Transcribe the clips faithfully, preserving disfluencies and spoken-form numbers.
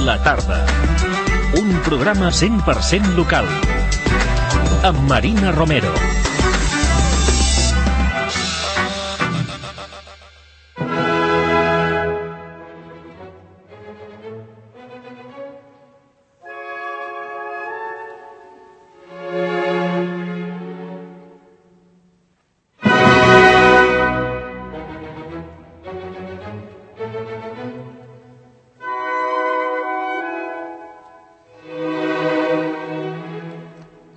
La tarda. Un programa cent per cent local. Amb Marina Romero.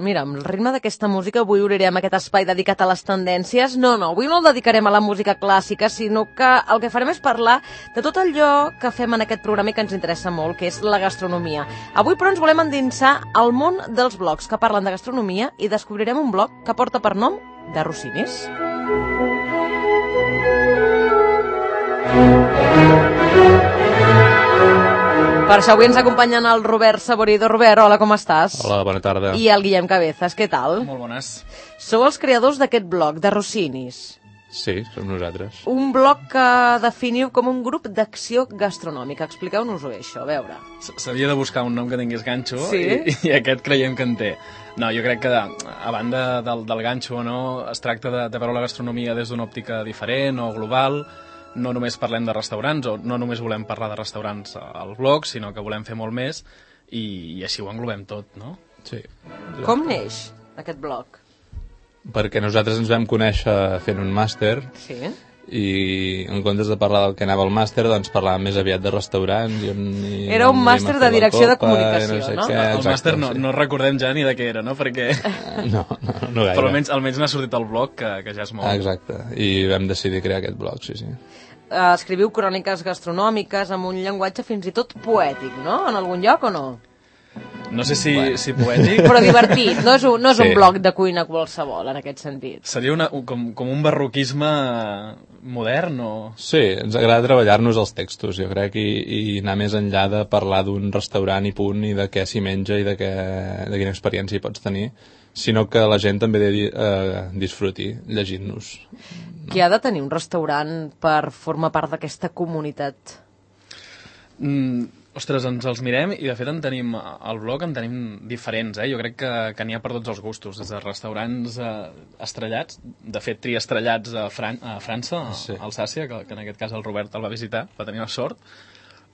Mira, amb el ritme d'aquesta música avui obrirem aquest espai dedicat a les tendències. No, no, avui no el dedicarem a la música clàssica, sinó que el que farem és parlar de tot allò que fem en aquest programa i que ens interessa molt, que és la gastronomia. Avui, però, ens volem endinsar al món dels blogs que parlen de gastronomia i descobrirem un blog que porta per nom de Rossinis. Per això avui ens acompanyen el Robert Saborido. Robert, hola, com estàs? Hola, bona tarda. I el Guillem Cabezas, què tal? Molt bones. Sou els creadors d'aquest blog, de Rossinis. Sí, som nosaltres. Un blog que definiu com un grup d'acció gastronòmica. Expliqueu-nos-ho, això, a veure. S'havia de buscar un nom que tingués ganxo, sí? i, i aquest creiem que en té. No, jo crec que, a banda del, del ganxo, no, es tracta de, de veure la gastronomia des d'una òptica diferent o global. No només parlem de restaurants, o no només volem parlar de restaurants al blog, sinó que volem fer molt més, i, i així ho englobem tot, no? Sí. Com neix aquest blog? Perquè nosaltres ens vam conèixer fent un màster, sí? I en comptes de parlar del que anava al màster, doncs parlàvem més aviat de restaurants. I on, i era un màster de direcció de comunicació, no? Sé no? Què, el exacte, màster no, sí. no recordem ja ni de què era, no? Perquè... No, no, no gaire. Però almenys, almenys n'ha sortit el blog, que, que ja és molt. Ah, exacte, i vam decidir crear aquest blog, sí, sí. Uh, escriviu cròniques gastronòmiques amb un llenguatge fins i tot poètic, no? En algun lloc o no? No sé si, bueno. si poètic... Però divertit, no és un, no és sí. un blog de cuina qualsevol, en aquest sentit. Seria una, un, com, com un barroquisme modern o...? Sí, ens agrada treballar-nos els textos, jo crec, i, i anar més enllà de parlar d'un restaurant i punt, i de què s'hi menja i de, què, de quina experiència hi pots tenir, sinó que la gent també de, eh, disfruti llegint-nos. Qui ha de tenir un restaurant per formar part d'aquesta comunitat? Mm, ostres, ens els mirem i de fet en tenim, al blog en tenim diferents, eh? Jo crec que, que n'hi ha per tots els gustos, des de restaurants eh, estrellats, de fet triestrellats a, Fran a França, a sí. Alsàcia, que, que en aquest cas el Robert el va visitar, va tenir la sort,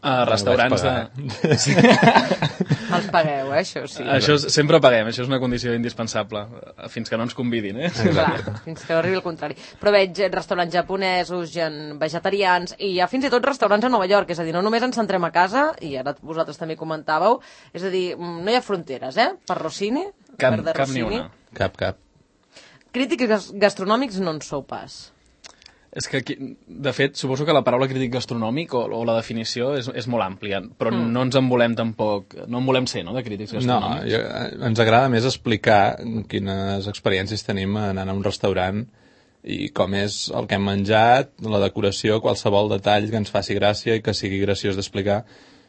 a restaurants de... Sí. Els pagueu, eh, això sí. Això és, sempre paguem, això és una condició indispensable, fins que no ens convidin, eh? Clar, fins que no arribi el contrari. Però veig restaurants japonesos, gen vegetarians, i hi ha fins i tot restaurants a Nova York, és a dir, no només ens centrem a casa, i ara vosaltres també comentàveu, és a dir, no hi ha fronteres, eh? Per Rossini, cap, per de cap Rossini. ni una. Cap, cap. Crítics gastronòmics no en sou pas. És que, aquí, de fet, suposo que la paraula crític gastronòmic o, o la definició és, és molt àmplia, però mm. no ens en volem tampoc, no en volem ser, no?, de crítics gastronòmics. No, jo, ens agrada més explicar quines experiències tenim anant a un restaurant i com és el que hem menjat, la decoració, qualsevol detall que ens faci gràcia i que sigui graciós d'explicar,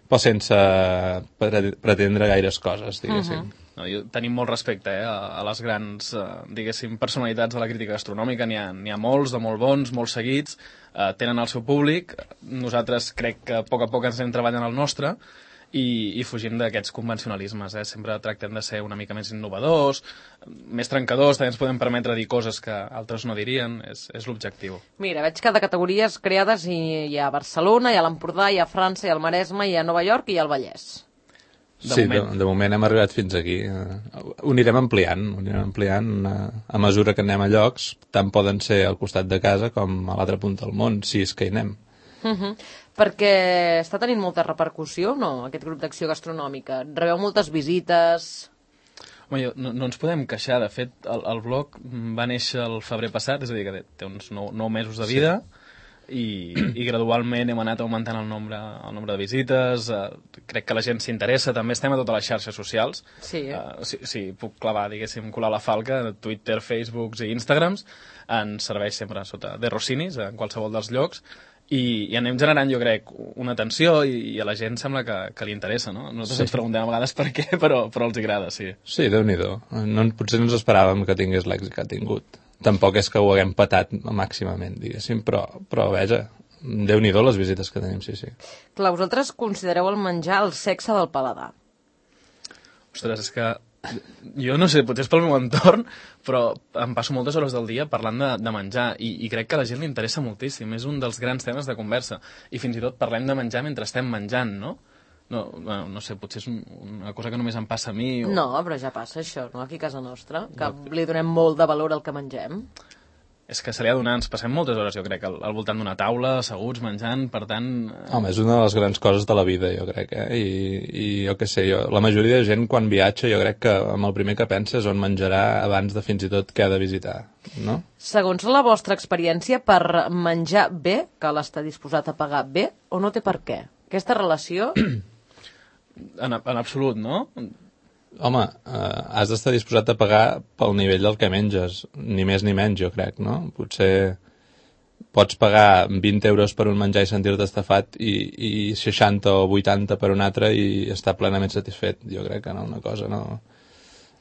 però sense pretendre gaires coses, diguéssim. Uh-huh. No, jo, tenim molt respecte eh, a, a les grans, eh, diguéssim, personalitats de la crítica gastronòmica. N'hi ha, n'hi ha molts, de molt bons, molt seguits, eh, tenen el seu públic. Nosaltres crec que a poc a poc ens anem treballant el nostre i, i fugim d'aquests convencionalismes. Eh? Sempre tractem de ser una mica més innovadors, més trencadors, també ens podem permetre dir coses que altres no dirien, és, és l'objectiu. Mira, veig que de categories creades hi, hi ha Barcelona, hi ha l'Empordà, hi ha França, hi ha el Maresme, hi ha Nova York i hi ha el Vallès. De sí, moment. De, de moment hem arribat fins aquí. Ho anirem ampliant, ho anirem ampliant a, a mesura que anem a llocs, tant poden ser al costat de casa com a l'altra punta del món, si és que hi anem. Uh-huh. Perquè està tenint molta repercussió, no?, aquest grup d'acció gastronòmica. Rebeu moltes visites... Home, jo, no, no ens podem queixar. De fet, el, el blog va néixer el febrer passat, és a dir, que té uns nou, nou mesos de vida, sí. I, i gradualment hem anat augmentant el nombre, el nombre de visites, uh, crec que la gent s'interessa, també estem a totes les xarxes socials, sí, eh? uh, si, si puc clavar, diguéssim, colar la falca, Twitter, Facebooks i Instagrams, ens serveix sempre sota de Rossinis, en qualsevol dels llocs, i, i anem generant, jo crec, una atenció i, i a la gent sembla que, que li interessa, no? Nosaltres sí. ens preguntem a vegades per què, però, però els agrada, sí. Sí, Déu-n'hi-do. No, potser no ens esperàvem que tingués l'èxit que ha tingut. Tampoc és que ho haguem patat màximament, diguéssim, però, però veja, Déu-n'hi-do les visites que tenim, sí, sí. Clar, vosaltres considereu el menjar el sexe del paladar. Ostres, és que jo no sé, potser és pel meu entorn, però em passo moltes hores del dia parlant de, de menjar i, i crec que a la gent li interessa moltíssim. És un dels grans temes de conversa. I fins i tot parlem de menjar mentre estem menjant, no? No, bueno, no sé, potser és una cosa que només em passa a mi. O... No, però ja passa això, no? Aquí a casa nostra, que li donem molt de valor al que mengem. És que se li ha donat, ens passem moltes hores, jo crec, al, al voltant d'una taula, asseguts, menjant, per tant... Home, és una de les grans coses de la vida, jo crec, eh? I, i jo què sé, jo, la majoria de gent quan viatja jo crec que amb el primer que pensa és on menjarà abans de fins i tot què ha de visitar, no? Segons la vostra experiència, per menjar bé, cal estar disposat a pagar bé o no té per què? Aquesta relació... En, en absolut, no? Home, eh, has d'estar disposat a pagar pel nivell del que menges, ni més ni menys, jo crec, no? Potser pots pagar vint euros per un menjar i sentir-te estafat i, i seixanta o vuitanta per un altre i estar plenament satisfet. Jo crec que no, una cosa no...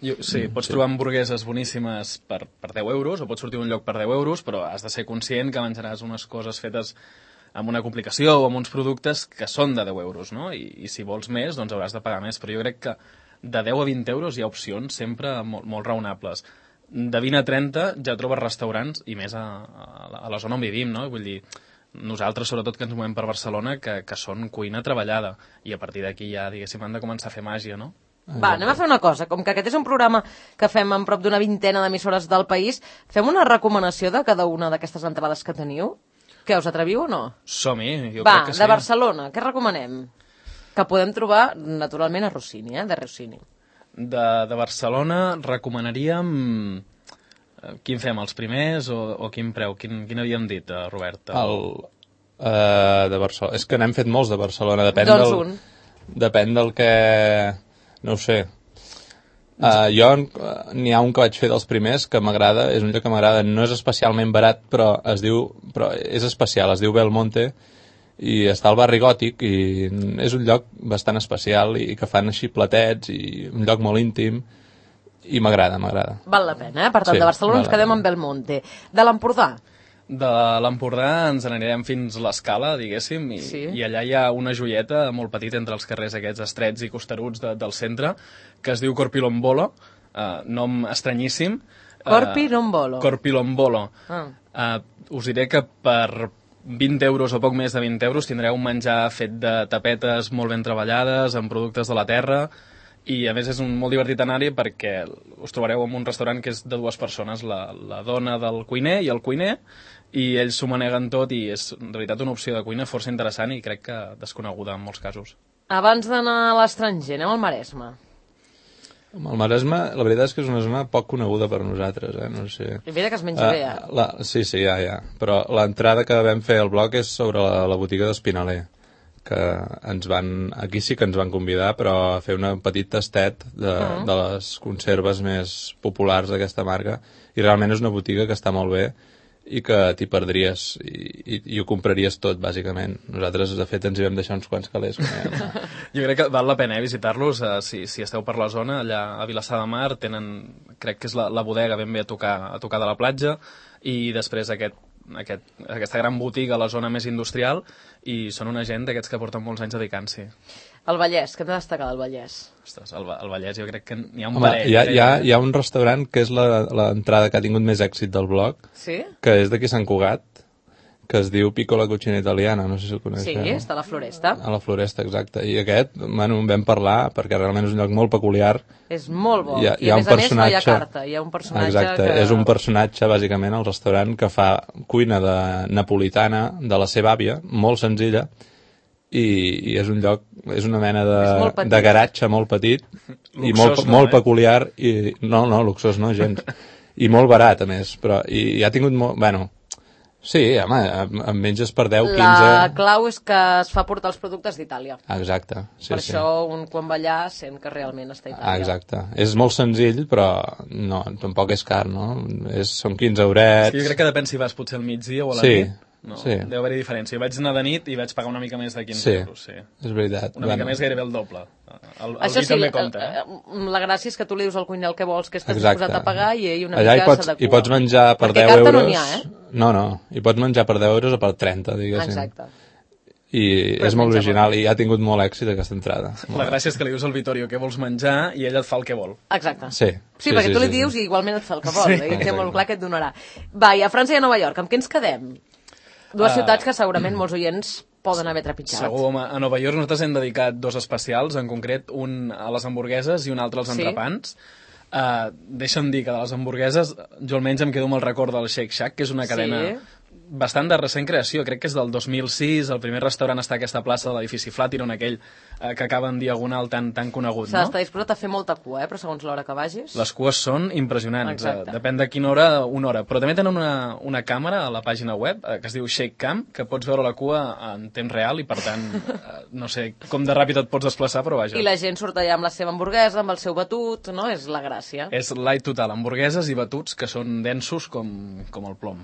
Jo, sí, pots sí. trobar hamburgueses boníssimes per, per deu euros o pots sortir d'un lloc per deu euros, però has de ser conscient que menjaràs unes coses fetes amb una complicació o amb uns productes que són de deu euros, no? I, i si vols més, doncs hauràs de pagar més, però jo crec que de deu a vint euros hi ha opcions sempre molt, molt raonables. De vint a trenta ja trobes restaurants, i més a, a la zona on vivim, no? Vull dir, nosaltres, sobretot que ens movem per Barcelona, que, que són cuina treballada, i a partir d'aquí ja, diguéssim, han de començar a fer màgia, no? Va, anem a fer una cosa. Com que aquest és un programa que fem en prop d'una vintena d'emissores del país, fem una recomanació de cada una d'aquestes entrades que teniu? Què, us atreviu o no? Som-hi, jo Va, crec que sí. Va, de Barcelona, què recomanem? Que podem trobar, naturalment, a Rossini, eh? De Rossini. De, de Barcelona recomanaríem... Quin fem, els primers o, o quin preu? Quin, quin havíem dit, Robert? El, uh, de Barcelona. És que n'hem fet molts de Barcelona. Depèn doncs del, un. Depèn del que... No ho sé. Uh, jo uh, n'hi ha un que vaig fer dels primers que m'agrada, és un lloc que m'agrada. No és especialment barat, però es diu... Però és especial, es diu Belmonte, i està al barri Gòtic, i és un lloc bastant especial i que fan així platets, i un lloc molt íntim, i m'agrada, m'agrada. Val la pena, eh? Per tant, sí, de Barcelona ens quedem amb Belmonte. De l'Empordà? De l'Empordà ens n'anirem fins a l'Escala, diguéssim, i, sí. i allà hi ha una joieta molt petita entre els carrers aquests estrets i costeruts de, del centre, que es diu Corpilombolo, eh, nom estranyíssim. Corpilombolo. Uh, Corpilombolo. Ah. Uh, us diré que per vint euros o poc més de vint euros tindreu un menjar fet de tapetes molt ben treballades, amb productes de la terra, i a més és un molt divertit anar-hi perquè us trobareu en un restaurant que és de dues persones, la, la dona del cuiner i el cuiner, i ells s'ho maneguen tot i és en realitat una opció de cuina força interessant i crec que desconeguda en molts casos. Abans d'anar a l'estranger, anem al Maresme. El Maresme, la veritat és que és una zona poc coneguda per nosaltres, eh? No sé. I mira que es menja uh, bé, eh? La, sí, sí, ja, ja. Però l'entrada que vam fer al bloc és sobre la, la botiga d'Espinaler, que ens van, aquí sí que ens van convidar, però a fer un petit tastet de, uh-huh. de les conserves més populars d'aquesta marca, i realment és una botiga que està molt bé i que t'hi perdries i, i, i ho compraries tot, bàsicament. Nosaltres, de fet, ens hi vam deixar uns quants calés. Jo crec que val la pena eh, visitar-los, eh, si, si esteu per la zona, allà a Vilassar de Mar, tenen, crec que és la, la bodega ben bé a tocar, a tocar de la platja, i després aquest, aquest, aquesta gran botiga a la zona més industrial, i són una gent d'aquests que porten molts anys dedicant-s'hi. El Vallès, què hem de destacar del Vallès? Ostres, el, el Vallès jo crec que n'hi ha un Home, parell. Hi ha, hi, ha, hi ha un restaurant que és l'entrada que ha tingut més èxit del blog, sí? Que és d'aquí Sant Cugat, que es diu Piccola Cucina Italiana, no sé si el coneixeu. Sí, està a la Floresta. A la Floresta, exacte. I aquest, bueno, en vam parlar, perquè realment és un lloc molt peculiar. És molt bo. Hi ha, I hi ha a més un a més no hi ha carta. Hi ha un personatge exacte, que... és un personatge, bàsicament, al restaurant que fa cuina de napolitana de la seva àvia, molt senzilla, i, i és un lloc, és una mena de, de garatge molt petit, luxós, i molt, no, molt eh? peculiar, i no, no, luxós no, gens. I molt barat, a més, però i, i ha tingut molt... Bueno, sí, home, em menges per deu, quinze... La clau és que es fa portar els productes d'Itàlia. Exacte, sí, per sí. això un quan va allà sent que realment està a Itàlia. Ah, exacte. És molt senzill, però no, tampoc és car, no? És, són quinze eurets... Sí, jo crec que depèn si vas potser al migdia o a la sí, nit. No, sí. Deu haver-hi diferència. Jo vaig anar de nit i vaig pagar una mica més de quinze sí, euros. Sí, és veritat. Una bueno. mica més, gairebé el doble. El, el Això vi sí, també compta, eh? la gràcia és que tu li dius al cuiner el que vols, que estàs Exacte. disposat a pagar, i ell una Allà mica hi pots, s'adequa. hi pots menjar per Perquè deu carta euros... no n'hi ha, eh? No, no, hi pots menjar per deu euros o per trenta, diguéssim. Exacte. I Però és molt menja original molt. i ha tingut molt èxit aquesta entrada. La gràcia és que li dius al Vittorio què vols menjar i ell et fa el que vol. Exacte. Sí. Sí, sí perquè sí, tu li sí, dius sí. i igualment et fa el que vol, Sí. eh? I té molt clar que et donarà. Va, i a França i a Nova York, amb què ens quedem? Dues Uh, ciutats que segurament molts oients poden haver trepitjat. Segur, home, a Nova York nosaltres hem dedicat dos especials, en concret un a les hamburgueses i un altre als Sí. entrepans. Uh, deixa'm dir que de les hamburgueses jo almenys em quedo amb el record del Shake Shack, que és una cadena Sí. bastant de recent creació, crec que és del dos mil sis, el primer restaurant està a aquesta plaça de l'edifici Flatiron, aquell eh, que acaba en diagonal tan, tan conegut, S'ha no? d'estar disposat a fer molta cua, eh? Però segons l'hora que vagis... Les cues són impressionants, Exacte. eh, depèn de quina hora, una hora. Però també tenen una, una càmera a la pàgina web eh, que es diu Shake Cam, que pots veure la cua en temps real i, per tant, eh, no sé com de ràpid et pots desplaçar, però vaja. I la gent surt allà amb la seva hamburguesa, amb el seu batut, no? És la gràcia. És light total, hamburgueses i batuts que són densos com, com el plom.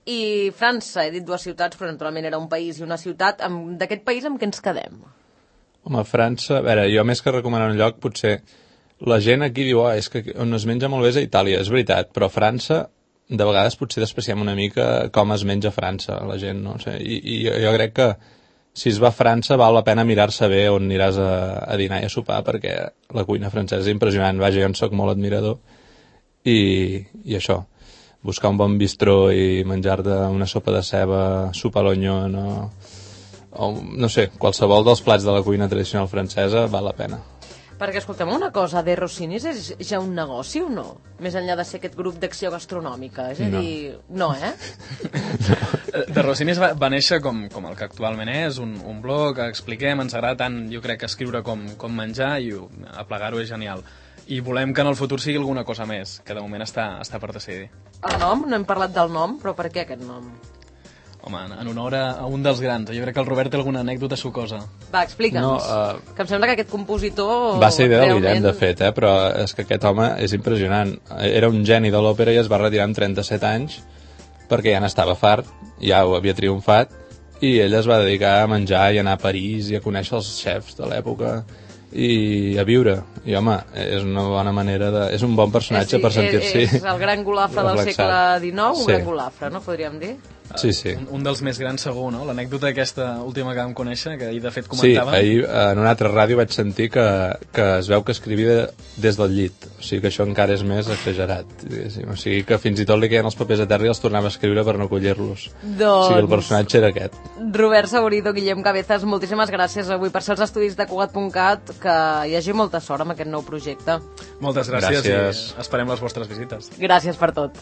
I França, he dit dues ciutats, però naturalment era un país i una ciutat. Amb- D'aquest país amb què ens quedem? Home, França... A veure, jo més que recomanar un lloc, potser... La gent aquí diu, oh, és que on es menja molt bé és a Itàlia, és veritat, però a França, de vegades potser despreciem una mica com es menja a França, la gent, no sé. I, i jo, jo crec que si es va a França val la pena mirar-se bé on aniràs a, a dinar i a sopar, perquè la cuina francesa és impressionant. Vaja, jo en soc molt admirador. I, i això, buscar un bon bistró i menjar-te una sopa de ceba, sopa a l'onyon o, o, no sé, qualsevol dels plats de la cuina tradicional francesa val la pena. Perquè, escolta'm, una cosa, De Rossinis és ja un negoci o no? Més enllà de ser aquest grup d'acció gastronòmica. És a No. dir, no, eh? De Rossinis va, va néixer com, com el que actualment és, un, un blog que expliquem, ens agrada tant, jo crec, escriure com, com menjar i ho- aplegar-ho és genial. I volem que en el futur sigui alguna cosa més, que de moment està, està per decidir. El nom, no hem parlat del nom, però per què aquest nom? Home, en, en honor a, a un dels grans. Jo crec que el Robert té alguna anècdota sucosa. Va, explica'ns. No, eh, Que em sembla que aquest compositor... Va ser idea del realment... Guillem, de fet, eh? Però és que aquest home és impressionant. Era un geni de l'òpera i es va retirar amb trenta-set anys perquè ja n'estava fart, ja ho havia triomfat, i ell es va dedicar a menjar i anar a París i a conèixer els xefs de l'època i a viure. I, home, és una bona manera de... És un bon personatge sí, per sentir-s'hi És el gran golafre del relaxat. segle dinou, un Sí. gran golafre, no podríem dir? Sí, sí. Un, un dels més grans segur, no? L'anècdota aquesta última que vam conèixer, que ahir de fet Sí, comentava... ahir en una altra ràdio vaig sentir que, que es veu que escrivia des del llit. O sigui que això encara és més exagerat. Diguéssim. O sigui que fins i tot li queien els papers a terra i els tornava a escriure per no collir-los. Doncs... O sigui, el personatge era aquest. Robert Saborido, Guillem Cabezas, moltíssimes gràcies avui per ser els estudis de Cugat punt cat, que hi hagi molta sort amb aquest nou projecte. Moltes gràcies, Gràcies. i esperem les vostres visites. Gràcies per tot.